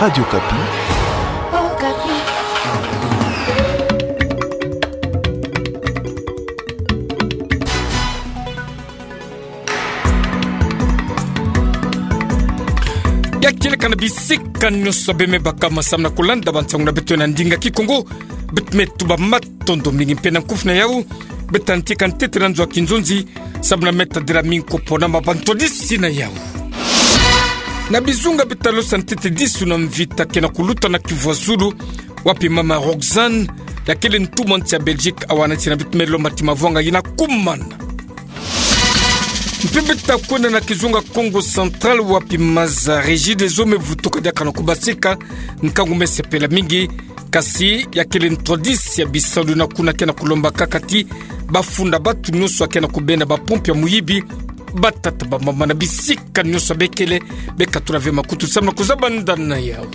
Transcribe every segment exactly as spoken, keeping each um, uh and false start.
Radio Okapi. Ya kieleka na bisika nyonso bemebaka, masamna kulanda bansangu na beto na ndinga Kikongo. Beto me tuba matondo mingi mpe na nkufi na yau. Beta ntika ntete na nzo a kinzonzi, samu na meta dila minko pona ma bantwadisi na yau. Na bizunga beta losa ntete disu na mvita ke na kuluta na Kivu ya Zulu, wapi mama Roxane, ya kele ntumwa nsi ya Belgique, awa na nsi na beto me lomba ti mavwanga yina kumana. Mpe beta kwenda na kizunga Kongo Central, wapi maza Regideso me vutuka diaka na kubasika, nkangu me sepela mingi, kasi ya kele ntwadisi ya bisalu na kuna ke na kulomba kaka ti bafunda batu nyonso ya ke na kubenda bapompi ya muyibi, batata bamama na bisika nyonso bekele, bekatula ve makutu samu na kuzaba nda na yau.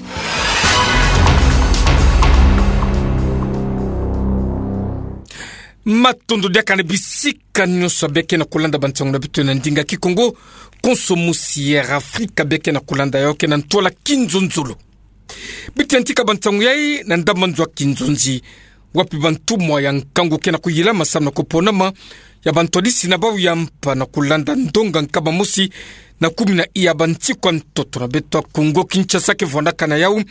Matondo diaka na bisika nyonso beke na kulanda bansangu na beto na ndinga Kikongo, konso musi ya Afrika beke na kulanda yau ke na ntwala kinzonzolo. Beti ya ntika bansangu yai na ndambu nzo a kinzonzi, wapi bantumwa ya nkangu ke na kuyilama samu na kuponama ya bantwadisi na bau ya mpa na kulanda ndonga nkaba mosi na kumi na iya bantikwa ntoto na beto ya Kongo Kinshasa ke vwandaka na yau.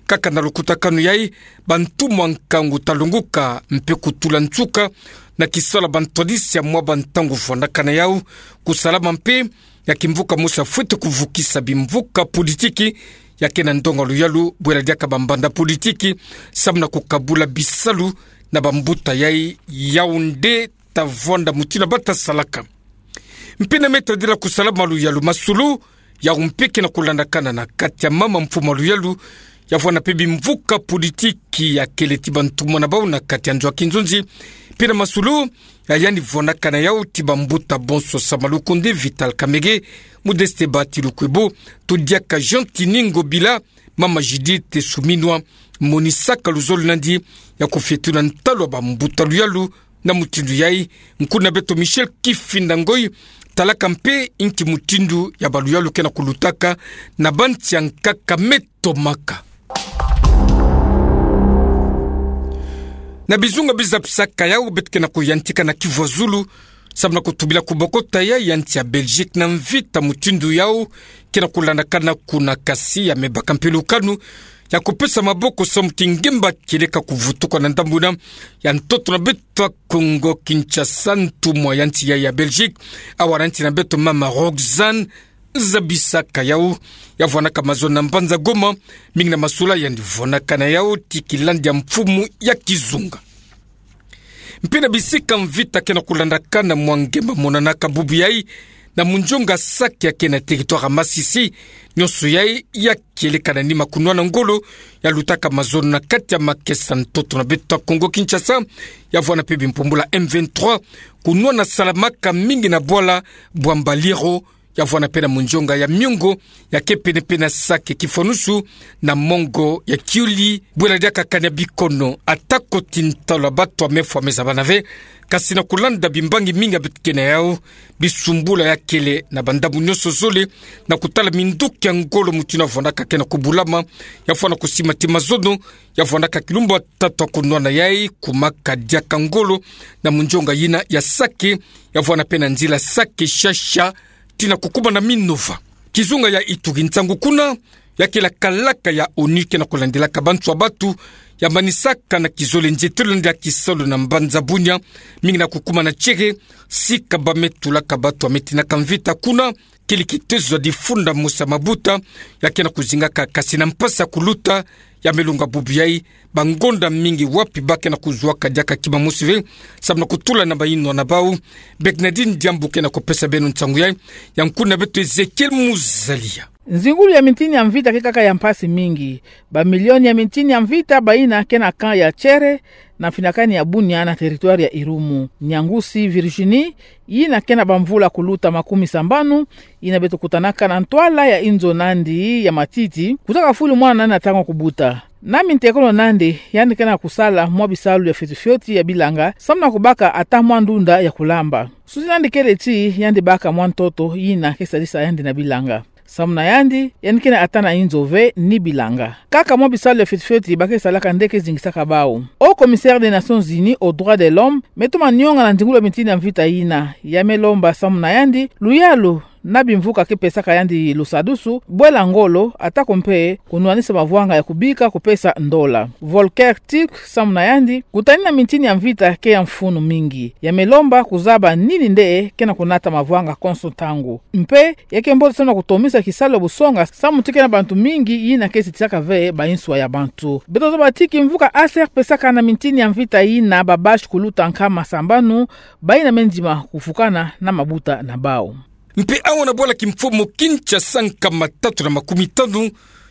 Kaka na lukutakanu yai, bantumwa nkangu ta lunguka mpe kutula nsuka na kisalu ya bantwadisi ya mwa bantangu vwandaka na yau, kusalama mpe ya kimvuka mosi ya fwete kuvukisa bimvuka politiki ya ke na ndonga luyalu, bwela diaka bambanda politiki, samu na kukabula bisalu na bambuta yai. Yau nde ta vwanda mutindu bata salaka. Mpe na meta dila kusalama luyalu, masolo yau mpe ke na kulandakana na kati ya mama mfumu a luyalu, ya vwanda mpe bimvuka politiki ya kele ti bantumwa na bau na kati ya nzo a kinzonzi. Mpe na masolo ya yandi vwandaka na yau ti bambuta bonso, Sama Lukonde, Vital Kamerhe, Modeste Bahati Lukwebo, to diaka Jean Tini Ngobila, mama Judith Suminwa, monisaka luzolo nandi ya kufietula ntalu ya bambuta luyalu. Na mutindu yai, nkuna beto Michel Kifinda Ngoi talaka mpe inki mutindu ya baluyalu ke na kulutaka na bansi ya nkaka me tomaka. Na bizunga bizapisaka yau, beto ke na kuyantika na Kivu ya Zulu, samu na kutubila kubokota ya, ya nsi ya Belgique na mvita mutindu yau ke na kulandakana kuna, kasi ya me baka mpe lukanu ya kupesa maboko samu ti ngemba kieleka kuvutuka na ndambu yina ya ntoto na beto ya Kongo Kinshasa, ntumwa ya nsi ya, ya Belgique, awa na nsi na beto mama Roxane, zabisaka yau, ya vwanaka mazono na mbanza Goma, mingi na masolo yandi vwanaka na yau ti kilandi ya mfumu ya kizunga. Mpe na bisika mvita ke na kulandakana, mwa ngemba monanaka bubu yai na munzonga Sake ya ke na territoire ya Masisi, nyonso yai ya kieleka na nima kunwana ngolo ya lutaka mazono na kati ya makesa ntoto na beto ya Kongo Kinshasa, ya vwana mpe bimpumbula M vingt-trois, kunwana salamaka mingi na bwala bwa Mbaliro, ya vwana mpe na munzonga ya Miongo, ya ke pene-pene na Sake, kifwanusu na mongo ya Kiuli, bwela diaka kani ya bikono, atako ti ntalu ya bato ya mefwa me zabana ve, kasi na kulanda bimbangi mingi ya beto ke na yau, bisumbula ya kele na bandambu nyonso zole, na kutala minduki ya ngolo mutindu ya vwanaka ke na kubulama, ya vwana kusima ti mazono, ya vwanaka kilumbu ya tatu ya kunwana yai, kumaka diaka ngolo na munzonga yina ya Sake, ya vwana mpe na nzila Sake-Shasha, tii na kukuma na Minova. Kizunga ya Ituri, nsangu kuna ya kele kalaka ya ONU ke na kulandilaka bantu ya bato, ya manisaka na kizole nzietelo ndia kisalu na mbanza Bunia, mingi na kukuma na Tchere, sika ba me tulaka bato ya me tinaka mvita kuna, kele kitezo ya difunda mosi ya mabuta, ya ke na kuzingaka kasi na mpasi ya kuluta, ya me lunga bubu yai, bangonda mingi wapi ba ke na kuzuaka diaka kima mosi ve, samu na kutula na bayinwa na bau. Bernadine Diambu ke na kupesa beno nsangu yai, ya nkuna beto Ezekiel Muzalia. Nzingulu ya mintini ya mvita ke kaka ya mpasi mingi. Bamilioni ya mintini ya mvita bayina ke na camp ya Tchere, na mfinakani ya Bunia na territoire ya Irumu. Nyangusi Virginie, yina ke na bamvula kuluta makumi sambanu, yina beto kutanaka na ntwala ya inzo nandi ya matiti, kuzaka fulu mwana nandi na ntangu ya kubuta. Na mintekolo nandi, yandi ke na kusala mwa bisalu ya fioti-fioti ya bilanga, samu na kubaka ata mwa ndunda ya kulamba. Susi nandi kele ti yandi baka mwa ntoto yina ke sadisa yandi na bilanga. Samu na yandi, yandi kena ata na inzo ve ni bilanga. Kaka mwa bisalu ya fioti fioti ba ke salaka nde ke zingisaka bau. Haut commissaire des Nations Unies aux droits de l'homme, me toma nionga na nzingulu ya mitini ya mvita yina, ya me lomba samu na yandi luyalu na bimvuka ke pesaka yandi lusadusu, bwela ngolo, atako mpe kunwanisa mavwanga ya kubika kupesa ndola. Volker Turk, samu na yandi, kutanina mitini ya mvita ke ya mfunu mingi. Ya me lomba kuzaba nini nde kena kunata mavwanga konso ntangu. Mpe, ya ke mbote samu na kutomisa kisalu ya busonga, samu ti kena bantu mingi yina ke sitisaka ve ba inswa ya bantu. Beto zoba ti kimvuka A C R pesaka na mitini ya mvita yina ba basi kuluta nkama sambanu, bayina me ndima kufukana na mabuta na bau. Mpe awa na bwala kimfumu Kinshasa, nkama tatu na makumi tanu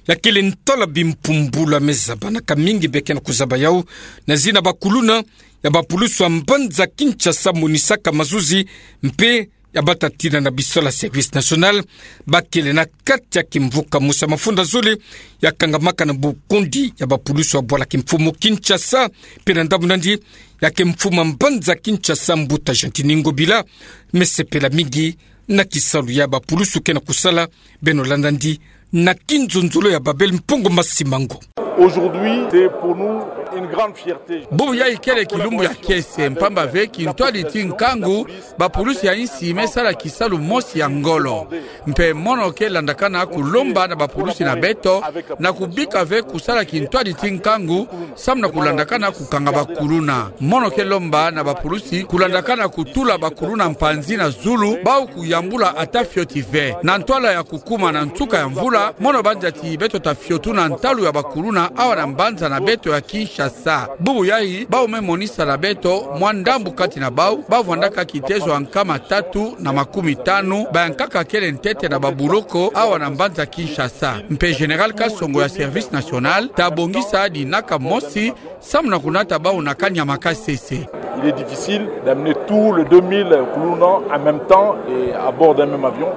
ya kele ntwala bimpumbulu ya me zabanaka mingi be kena kuzaba yau na zina bakuluna ya bapulusu ya mbanza Kinshasa, monisaka mazuzi mpe ya batatina na bisola service national, ba kele na kati ya kimvuka mosi ya mafunda zole ya kangamaka na bokondi ya bapulusu ya bwala kimfumu Kinshasa, mpe na ndambu na yandi ya ke mfumu ya mbanza Kinshasa, mbuta Gentiny Ngobila, me sepela mingi na kisalu ya bapulusu kena kusala. Beno landa yandi na kinzonzolo ya Babel Mpungu Masimango. Aujourd'hui, c'est pour nous une grande fierté. Bubu yayi kele kilumbu ya kiese, mpamba ve kintwadi ti nkangu, bapulusu ya insi me sala kisalu mosi ya ngolo. Mpe mono ke landakana kulomba na bapulusu na beto, na kubika ve kusala kintwadi ti nkangu, samu na kulandakana kukanga bakuluna. Mono ke lomba na bapulusu kulandakana kutula bakuluna mpanzi na zulu, bau kuyambula ata fioti ve. Na ntwala ya kukuma na nsuka ya mvula, mono banza ti beto ta fiotuna ntalu ya bakuluna awa na mbanza na beto ya Kinshasa. Bubu yayi, bau me monisa na beto mwa ndambu kati na bau, ba vwandaka kitezo ya nkama tatu na makumi tanu, ba ya nkaka kele ntete na babuloko awa na mbanza Kinshasa. Mpe Général Kasongo ya Service National ta bongisa dinaka mosi, samu na kunata bau na kanyama kasese. Il est difficile d'amener tous les deux mille kuluna en même temps et à bord d'un même avion.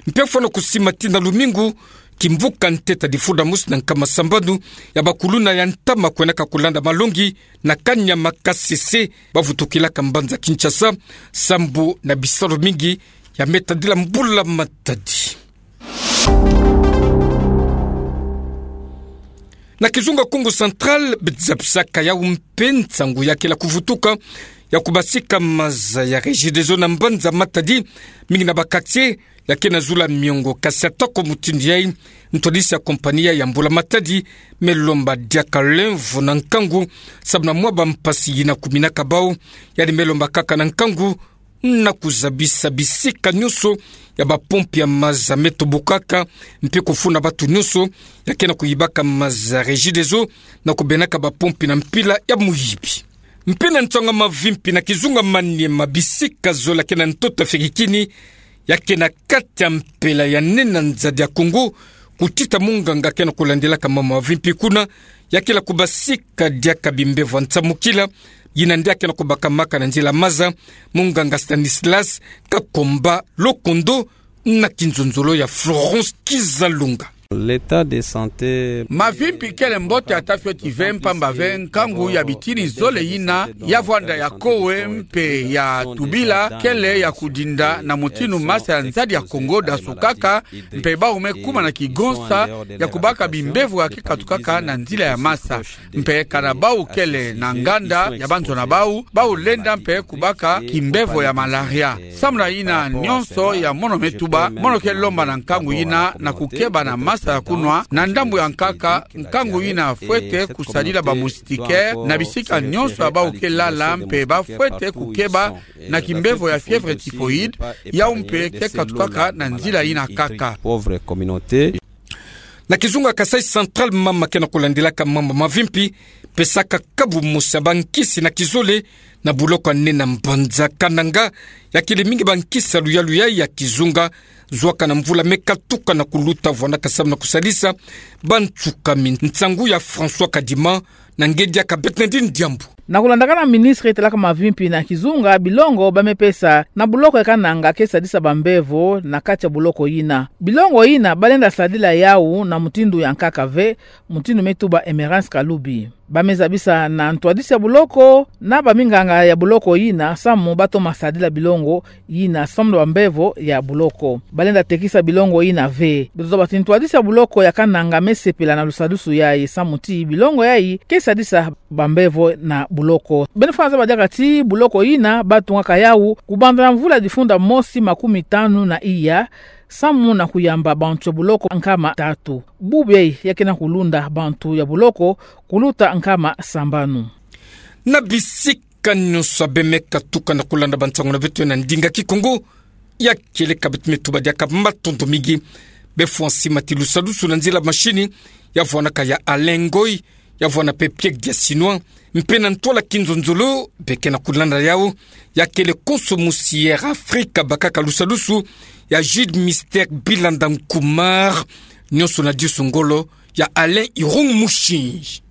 Mpe fwana kusima tii na lumingu, kimvuka ntete difunda mosi na nkama sambanu ya bakuluna ya ntama kwenaka kulanda malongi na kanyama kasese, ba vutukilaka mbanza Kinshasa, sambu na bisalu mingi ya me tadila mbula matadi. Na kizunga Kongo Central, bidza bisaka yau mpe nsangu ya kela kuvutuka ya kubasika maza ya Regideso na mbanza Matadi, mingi na ba quartier ya kena zula miongo. Kasi atako mutindu yayi, ntwadisi ya compagnie ya mbula matadi me lomba diaka lemvo na nkangu, sabu na mwa bampasi yina kuminaka bau. Yandi me lomba kaka na nkangu na kuzabisa bisika nyonso ya bapompi ya maza me tobokaka, mpe kufuna batu nyonso ya kena kuyibaka maza Regideso na kubenaka bapompi na mpila ya muyibi. Mpe na nsangu ya mavimpi, na kizunga Maniema, bisika zole ya kena ntoto ya fikikini ya kena kati ya mpela ya nene na nzadi ya Kongo, kutita munganga kena kulandilaka mambu ya mavimpi kuna, ya kela kubasika diaka bimbevo ya nsamukila, yina nde ya kena kubakamaka na nzila maza, munganga Stanislas Kakomba Lokondo, na kinzonzolo ya Florence Kizalunga. L'état de santé. Mavimpi kele mbote ata fioti ve, mpamba ve nkangu ya bitini zole yina ya vwanda ya kowe mpe ya tubila kele ya kudinda na mutindu masa ya nzadi ya Kongo dasukaka, mpe bau me kuma na kigonsa ya kubaka bimbevo ya ke katukaka na nzila ya masa. Mpe kana bau kele na nganda ya banzo na bau, bau lenda mpe kubaka kimbevo ya malaria. Samu na yina nyonso ya mono me tuba, mono ke lomba na nkangu yina na kukeba na masa ya kunwa, na ndambu ya nkaka, nkangu yina fwete kusadila ba moustiquaire na bisika nyonso ya bau ke lala, mpe ba fwete kukeba na kimbevo ya fièvre typhoïde, yau mpe ke katukaka na nzila yina kaka. Pauvre communauté. Na kizunga Kasaï Central, mama kena kulandilaka mambu ya mavimpi pesaka kabu mosi ya bankisi na kizole na buloko ya nene na mbanza Kananga, ya kele mingi bankisi ya luyalu yayi ya kizunga, zwaka na mvula me katuka na kuluta, vwandaka samu na kusadisa bantsukami. Nsangu ya François Kadima, na ngedi ya Kabetnedi Ndiambu. Na kulandakana na ministre talaka mavimpi na kizunga, bilongo ba me pesa na buloko ya Kananga ke sadisa bambevo na kati ya buloko yina. Bilongo yina ba lenda sadila yau na mutindu ya nkaka ve, mutindu me tuba Emerance Kalubi. Bameza bisa na ntwadisi ya buloko na baminganga ya buloko yina samu batoma sadila bilongo yina samu na bambevo ya buloko. Balenda tekisa bilongo yina ve. Beto zaba ti ntwadisi ya buloko ya kananga mesepela na lusadusu yayi samu ti bilongo yayi ke sadisa bambevo na buloko. Beno fana zaba diaka ti buloko yina batungaka yawu kubanda na mvula difunda mosi makumi tanu na iya samu na kuyamba bantu ya buloko nkama tatu. Bubu yayi ya kena kulunda bantu ya buloko kuluta nkama sambanu. Na bisika nyonso abe me katuka na kulanda bansangu na beto na ndinga Kikongo, ya kele ka beto me tuba diaka matondo mingi. Befwa nsima ti lusadusu na nzila machine, ya vwanaka ya Alain Ngoy, ya vwana pe Pierre Diasinois, mpe na ntwala kinzonzolo be kena kulanda yawu, ya kele konso musi Air Afrique bakaka lusadusu, ya Jude Mister Bilanda Nkumar, nyonso na disu ngolo ya Alain Irung Mushi.